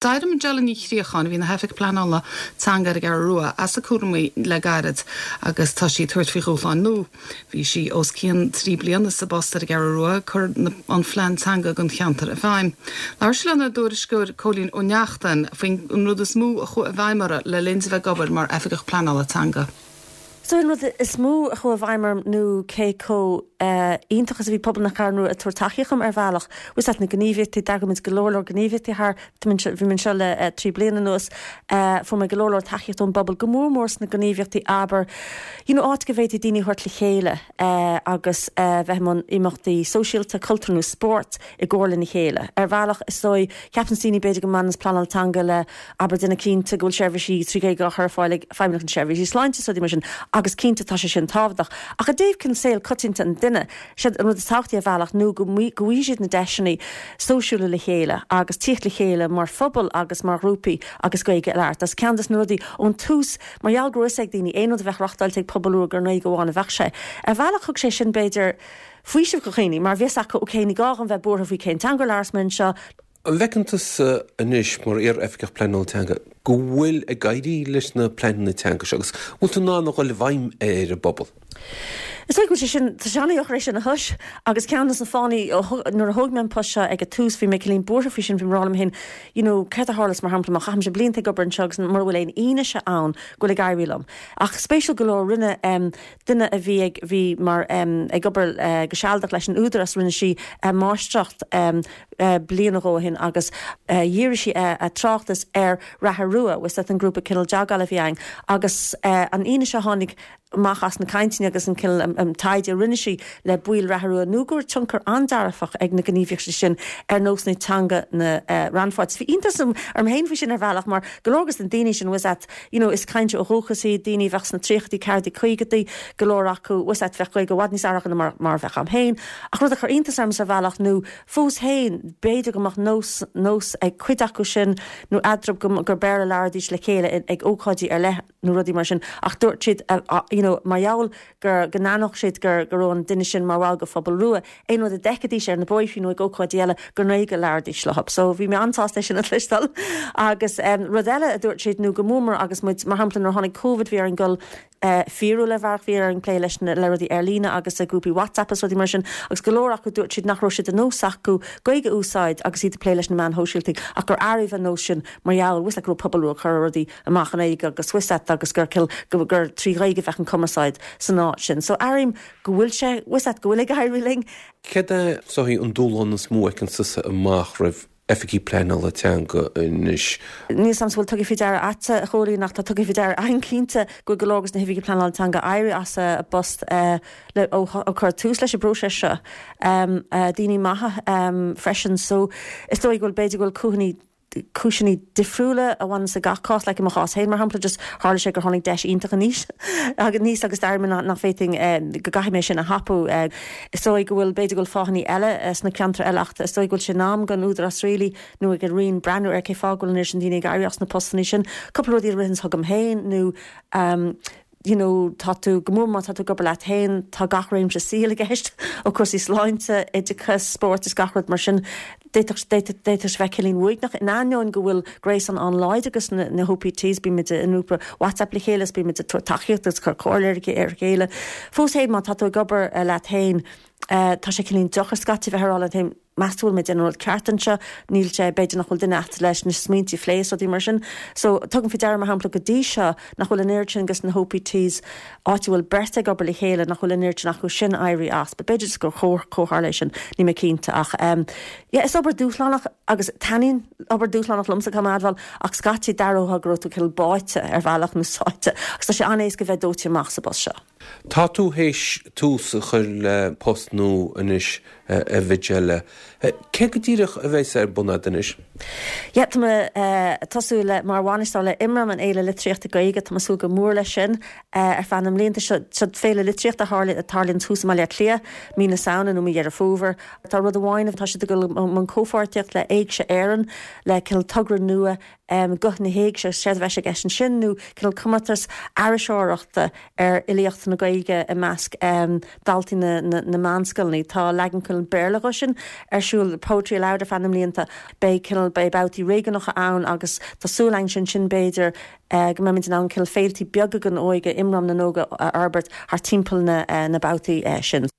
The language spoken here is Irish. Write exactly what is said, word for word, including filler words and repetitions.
D'éirigh Majella Ní Chríocháin a bhí ina hOifigeach Pleanála Teanga ar an gCeathrú Rua as a cúraimí le gairid agus tá sí ag tabhairt faoi dhúshlán nua. Bhí sí os cionn trí bliana sa bpost ar an gCeathrú Rua ag cur an phlean teanga don cheantar i bhfeidhm. Labhair sí lenár dtuairisceoir Cóilín Ó Neachtain faoin rud is mó a chuaigh i bhfeidhm uirthi le linn di bheith ag obair mar oifigeach pleanála teanga. So an rud is mó a chuaigh i bhfeidhm orm nó cé chomh iontach is a bhí pobal na Ceathrún Rua ag tabhairt tacaíocht dom ar bhealach. Bhí na gníomhaíochtaí d'eagraigh muid go leor leor gníomhaíochtaí thar bhí mé anseo le trí bliana anuas fuair mé go leor leor tacaíocht ón bpobal go mór mór sna gníomhaíochtaí abair you know, áit go bhféadfaí daoine a thabhairt le chéile agus bheith i mbun imeachtaí sóisialta, cultúr nó spórt i gcomhar lena chéile. Ar bhealach is dóigh ceapann daoine b'fhéidir go mbaineann pleanáil teanga le abair déanamh cinnte go bhfuil seirbhísí trí Ghaeilge á chur ar fáil ag feidhmeannacht na seirbhísí sláinte rudaí mar sin agus cinnte tá sé sin tábhachtach. Ach i dtaobh cineál saol coitianta an duine sé an rud is tábhachtaí ar bhealach nó go bhfaighidh siad na deiseanna sóisialta le chéile agus tíocht le chéile mar phobal agus mar ghrúpaí agus Gaeilge a labhairt. As ceann des na rudaí ón tús mar gheall go raibh ag daoine aon rud a bheith reáchtáilte ag pobal rua gur i nGaeilge amháin a bheadh sé. Ar bhealach thug sé sin b'fhéidir faoiseamh do dhaoine mar bhí a fhios acu okay ní gá dom bheith buartha faoi cén teanga a labhrós mé anseo. An bhfeiceann tusa anois mar iar-oifigeach pleanála teanga go bhfuil ag éirí leis na pleananna teanga seo agus bhfuil tú in ann a dhul i bhfeidhm ar an bpobal. Is go sé sin tá sé an-deacair sin a thomhas agus ceann de na fáthanna nuair a thóg mé an post seo ag an tús bhí mé cineál buartha faoi sin bhí mé ag rá liom féin you know, céard a tharlós mar shampla má chaithim sé blianta ag obair anseo agus mura bhfuil aon fhianaise ann go bhfuil ag éirí liom. Ach spéisiúil go leor rinne um, duine a bhí ag bhí mar um, ag obair uh, go sealadach leis an Údarás rinne sí uh, máistreacht um, uh, bliain ó shin agus uh, dhírigh sí uh, a tráchtas ar Reatha Rua was an grúpa cineál jogála a bhí ann agus uh, an fhianaise a tháinig amach as na cainteanna agus an cineál um, um, taighde rinne sí le baill Reatha Rua nó gur tionchar an-dearfach ag na gníomhaíochtaí sin ar nós na teanga na uh, rannpháirtithe. Bhí iontas orm féin faoi sin ar bhealach mar go leor des na daoine sin was that you know, is cainteoirí ó dhúchas iad daoine bheadh sna tríochaidí ceathrachaidí caogaidí go leor acu was that bheadh Gaeilge i bhfad níos fearr acu mar mar bheadh agam féin. Ach rud a chuir iontas orm ar bhealach nó fós féin b'fhéidir go mbeadh nós nós ag cuid acu sin nó eadraibh go gur Béarla a labhraídís le chéile ag ócáidí ar leith nó rudaí mar sin ach dúirt siad uh, you know, mar gheall gur go n-aithneodh siad gur go raibh an duine sin mar bhall de phobal rua aon rud a d'fheicfidís ar na bóithre nó ag ócáidí eile gur i nGaeilge a labhraídís leo. So bhí mé an-sásta sin a chloisteáil agus um, rud eile a dúirt siad nó go mór agus muid mar shampla nuair tháinig COVID bhí orainn dul uh, fíorúil le bheith bhí orainn plé leis na le rudaí ar líne agus a grúpaí WhatsApp is rudaí mar sin agus go leor acu dúirt siad nach raibh sé de nós acu Gaeilge a úsáid agus iad plé leis na meáin shóisialta ach gur athraigh an nós sin mar gheall was go pobal rua chur rudaí amach an éige agus swisat agus gur kill gur gur trí Ghaeilge a bheadh an cumarsáid san áit sin. So airím go bhfuil sé was go bhfuil ag éirí linn. Céard é an dúshlán is mó a fheiceann tusa amach roimh oifigigh pleanála teanga anois. Ní sam bhfuil tugtha faoi deara agat a Chóilín ach tá tugtha faoi deara againn cinnte go go leor des na hoifigigh pleanála teanga éirí as a bpost uh, le ó, ó chur tús leis an bpróiseas seo um, uh, daoine maithe um, freisin so is dóigh go bhfuil b'fhéidir go bhfuil cúiseanna cúiseanna difriúla a bhain sa gach cás le mo chás féin mar shampla just tharla sé gur tháinig deis iontach aníos agus níos agus dar nach féidir eh, go gcaithfidh mé sin a thapú eh, is dóigh go bhfuil b'fhéidir go bhfuil fáthanna eile eh, sna ceantair eile ach is dóigh go bhfuil sé in am don Údarás really nó ag an Roinn breathnú ar cé fáth go bhfuil sin daoine ag éirí as na postanna sin cúpla rudaí a ritheann chugam féin nó um, you know, tá tú go mór má tá tú ag obair leat féin tá gach réimse saoil i gceist ó cúrsaí sláinte oideachas spórt is gach rud mar sin d'fhéadfadh bheith cineál uaigneach in ainneoin go bhfuil gréasán an-láidir agus na, na OPTs bímid i ngrúpa WhatsApp le chéile bímid tacaíocht agus cur comhairle ar a chéile. Fós féin má tá tú ag obair uh, leat féin uh, tá sé cineál deacair scaití bheith ag rá leat féin meas tú an bhfuil mé ag déanamh an rud ceart anseo níl sé b'fhéidir nach bhfuil duine agat leis na smaointe a phlé rudaí mar sin. So tugaim faoi deara mar shampla go dtí seo nach bhfuil an oiread sin agus na OPTs áit a bhfuil beirt ag obair le chéile nach bhfuil an oiread sin acu sin éirí as, but b'fhéidir gur comhtharla sin ní mé cinnte ach um, yeah, is obair dúshlánach agus taitníonn obair dúshlánach liomsa go maith ach scaití d'aireofá go raibh tú cineál báite ar bhealach nó sáite agus tá sé an-éasca bheith dóite amach sa bpost seo. Tá tú théis tús a chur le post nua anois a Mhajella. Cé go díreach a bheas ar bun agat anois? Ja tá uh, tosú le mar bhainisteoir le Imram an Fhéile Litríochta Gaeilge tá súil go mór leis sin uh, ar feadh na mblianta seo féile litríochta a tharlaíonn thuas i mBaile Átha Cliath mí na Samhna nó mí Dheireadh Fómhair. Tá rud amháin tá siad go an comhpháirtíocht le Éigse Éireann le cineál togra nua um, Guth na hÉigse sé bheith ag sin sin nó cineál comórtas iriseoireachta ar fhilíocht na Gaeilge i measc um, daltaí na, na, na meánscoileanna. Tá leagan cineál Béarla sin ar siúl Poetry Aloud ar feadh na mblianta, beidh cineál beidh babhtaí réigiúnacha ann agus tá súil againn ansin b'fhéidir go mbeimid in ann cineál féiltí beaga don óige, Imram na nÓg a fhorbairt thar timpeall na na babhtaí sin.